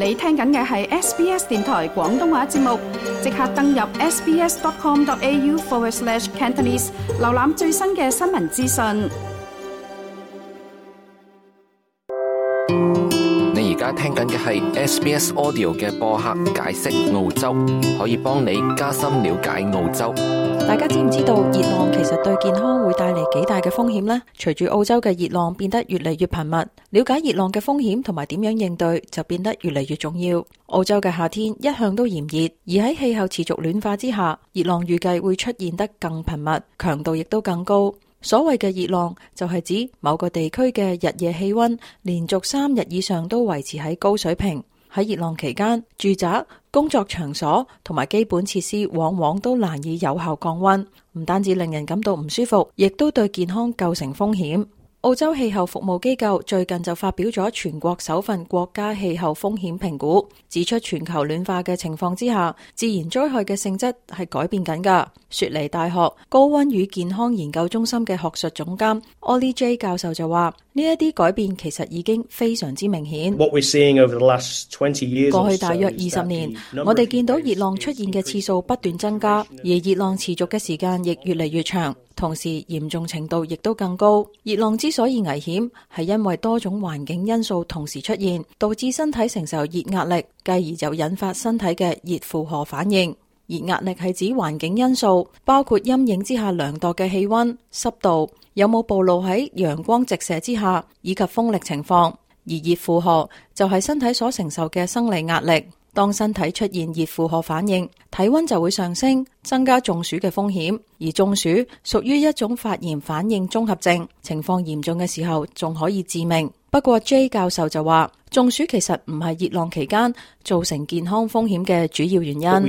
你聽緊嘅係 SBS 電台廣東話節目，即刻登入 sbs.com.au/Cantonese 瀏覽最新嘅新聞資訊。你而家聽緊嘅係 SBS Audio 嘅播客解釋澳洲，可以幫你加深了解澳洲。大家知唔知道熱浪其實對健康會帶嚟幾大嘅風險呢？隨住澳洲嘅熱浪變得越嚟越頻密，了解熱浪嘅風險同埋點樣應對就變得越嚟越重要。澳洲嘅夏天一向都炎熱，而喺氣候持續暖化之下，熱浪預計會出現得更頻密，強度亦都更高。所謂嘅熱浪就係指某個地區嘅日夜氣溫連續3日以上都維持喺高水平。喺熱浪期間，住宅、工作場所同埋基本設施往往都難以有效降溫，唔單止令人感到唔舒服，亦都對健康構成風險。澳洲氣候服務機構最近就發表咗全國首份國家氣候風險評估，指出全球暖化嘅情況之下，自然災害嘅性質係改變緊㗎。雪梨大學高溫與健康研究中心嘅學術總監 Ollie J 教授就話，呢一啲改變其實已經非常之明顯。過去大約20年，我哋見到熱浪出現嘅次數不斷增加，而熱浪持續嘅時間亦越嚟越長，同時嚴重程度亦都更高。熱浪之所以危險，係因為多種環境因素同時出現，導致身體承受熱壓力，繼而就引發身體嘅熱負荷反應。熱壓力係指環境因素，包括陰影之下量度嘅氣溫、濕度，有冇暴露喺陽光直射之下，以及風力情況。而熱負荷就係身體所承受嘅生理壓力。當身體出現熱負荷反應，體溫就會上升，增加中暑嘅風險。而中暑屬於一種發炎反應綜合症，情況嚴重嘅時候仲可以致命。不過 J 教授就話，中暑其實唔係熱浪期間造成健康風險嘅主要原因。我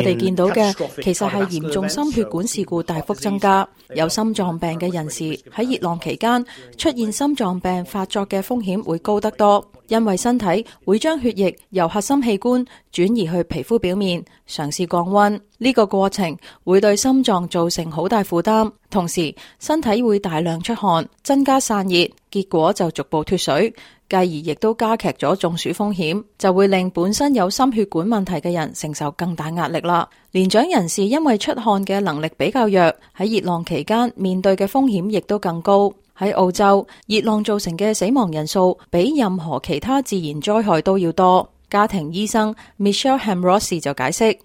哋見到嘅其實係嚴重心血管事故大幅增加，有心臟病嘅人士喺熱浪期間出現心臟病發作嘅風險會高得多，因為身體會將血液由核心器官轉移去皮膚表面，嘗試降溫。呢個過程會對心臟造成好大負擔，同時身體會大量出汗，增加散熱，結果就逐步脫水，繼而亦都加劇咗中暑風險，就會令本身有心血管問題嘅人承受更大壓力啦。年長人士因為出汗嘅能力比較弱，喺熱浪期間面對嘅風險亦都更高。喺澳洲，熱浪造成嘅死亡人數比任何其他自然災害都要多。家庭醫生 Michelle Hamrossi 就解釋，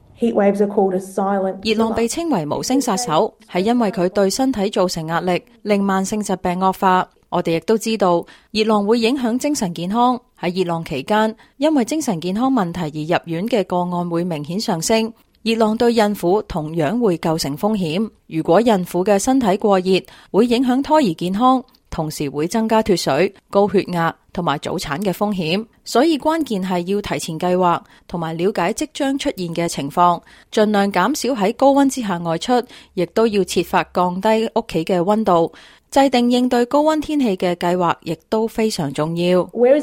熱浪被稱為無聲殺手，係因為佢對身體造成壓力，令慢性疾病惡化。我哋亦都知道，熱浪會影響精神健康。喺熱浪期間，因為精神健康問題而入院嘅個案會明顯上升。熱浪對孕婦同樣會構成風險。如果孕婦嘅身體過熱，會影響胎兒健康，同時會增加脫水、高血壓同埋早產嘅風險。所以關鍵係要提前計劃，同埋了解即將出現嘅情況，盡量減少喺高溫之下外出，亦都要設法降低屋企嘅溫度。制定應對高溫天氣嘅計劃亦都非常重要。你屋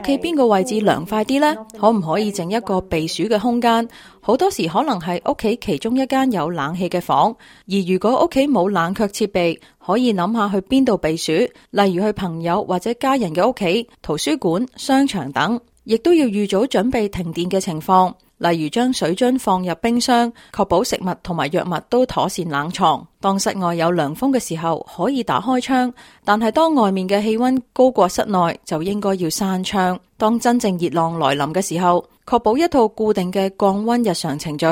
企邊個位置涼快啲呢？可唔可以整一個避暑嘅空間？好多時可能係屋企其中一間有冷氣嘅房，而如果屋企冇冷卻設備，可以諗下去邊度避暑，例如去朋友或者家人嘅屋企、圖書館、商場等，亦都要預早準備停電嘅情況。例如將水樽放入冰箱，確保食物同埋藥物都妥善冷藏。當室外有涼風嘅時候，可以打開窗，但係當外面嘅氣溫高過室內，就應該要閂窗。當真正熱浪來臨嘅時候，確保一套固定嘅降溫日常程序。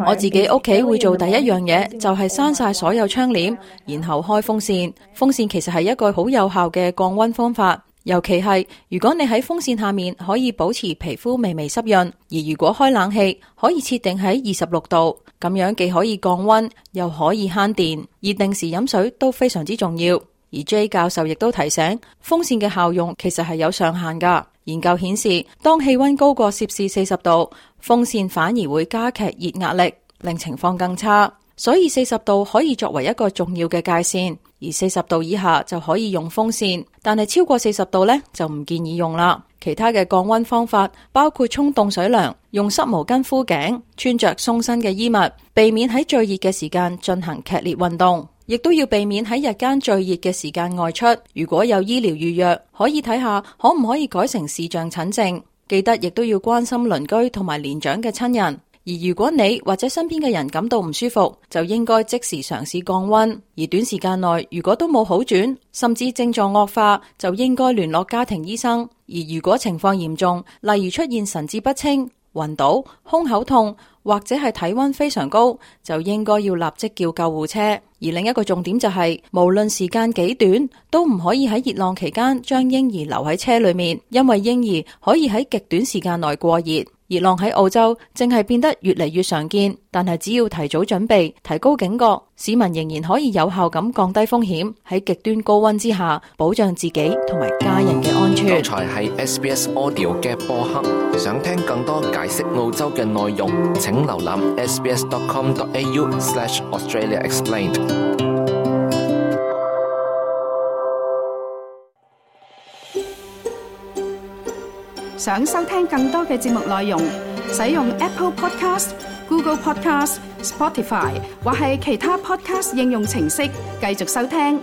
我自己屋企會做第一樣嘢，就係閂晒所有窗簾，然後開風扇。風扇其實係一個好有效嘅降溫方法。尤其係如果你喺風扇下面可以保持皮膚微微濕潤，而如果開冷氣可以設定喺26度，咁樣既可以降溫又可以慳電，而定時飲水都非常之重要。而 J 教授亦都提醒，風扇嘅效用其實係有上限㗎。研究顯示，當氣溫高過攝氏40度，風扇反而會加劇熱壓力，令情況更差。所以40度可以作為一個重要嘅界線，而40度以下就可以用風扇，但係超過40度呢，就唔建議用啦。其他嘅降溫方法包括沖凍水涼、用濕毛巾敷頸、穿着鬆身嘅衣物，避免喺最熱嘅時間進行劇烈運動。亦都要避免喺日間最熱嘅時間外出。如果有醫療預約，可以睇下可唔可以改成視像診症。記得亦都要關心鄰居同埋年長嘅親人。而如果你或者身邊嘅人感到唔舒服，就應該即時嘗試降溫。而短時間內如果都冇好轉，甚至症狀惡化，就應該聯絡家庭醫生。而如果情況嚴重，例如出現神志不清、暈倒、胸口痛或者係體溫非常高，就應該要立即叫救護車。而另一個重點就係，無論時間幾短，都唔可以喺熱浪期間將嬰兒留喺車裏面，因為嬰兒可以喺極短時間內過熱。熱浪喺澳洲正係變得越嚟越常見，但係只要提早準備，提高警覺，市民仍然可以有效咁降低風險，喺極端高溫之下保障自己同埋家人嘅安全。剛才係 SBS Audio 嘅播客，想聽更多解釋澳洲嘅內容，請瀏覽 sbs.com.au/AustraliaExplained。想收聽更多嘅節目內容，使用 Apple Podcast、Google Podcast、Spotify 或係其他 Podcast 應用程式繼續收聽。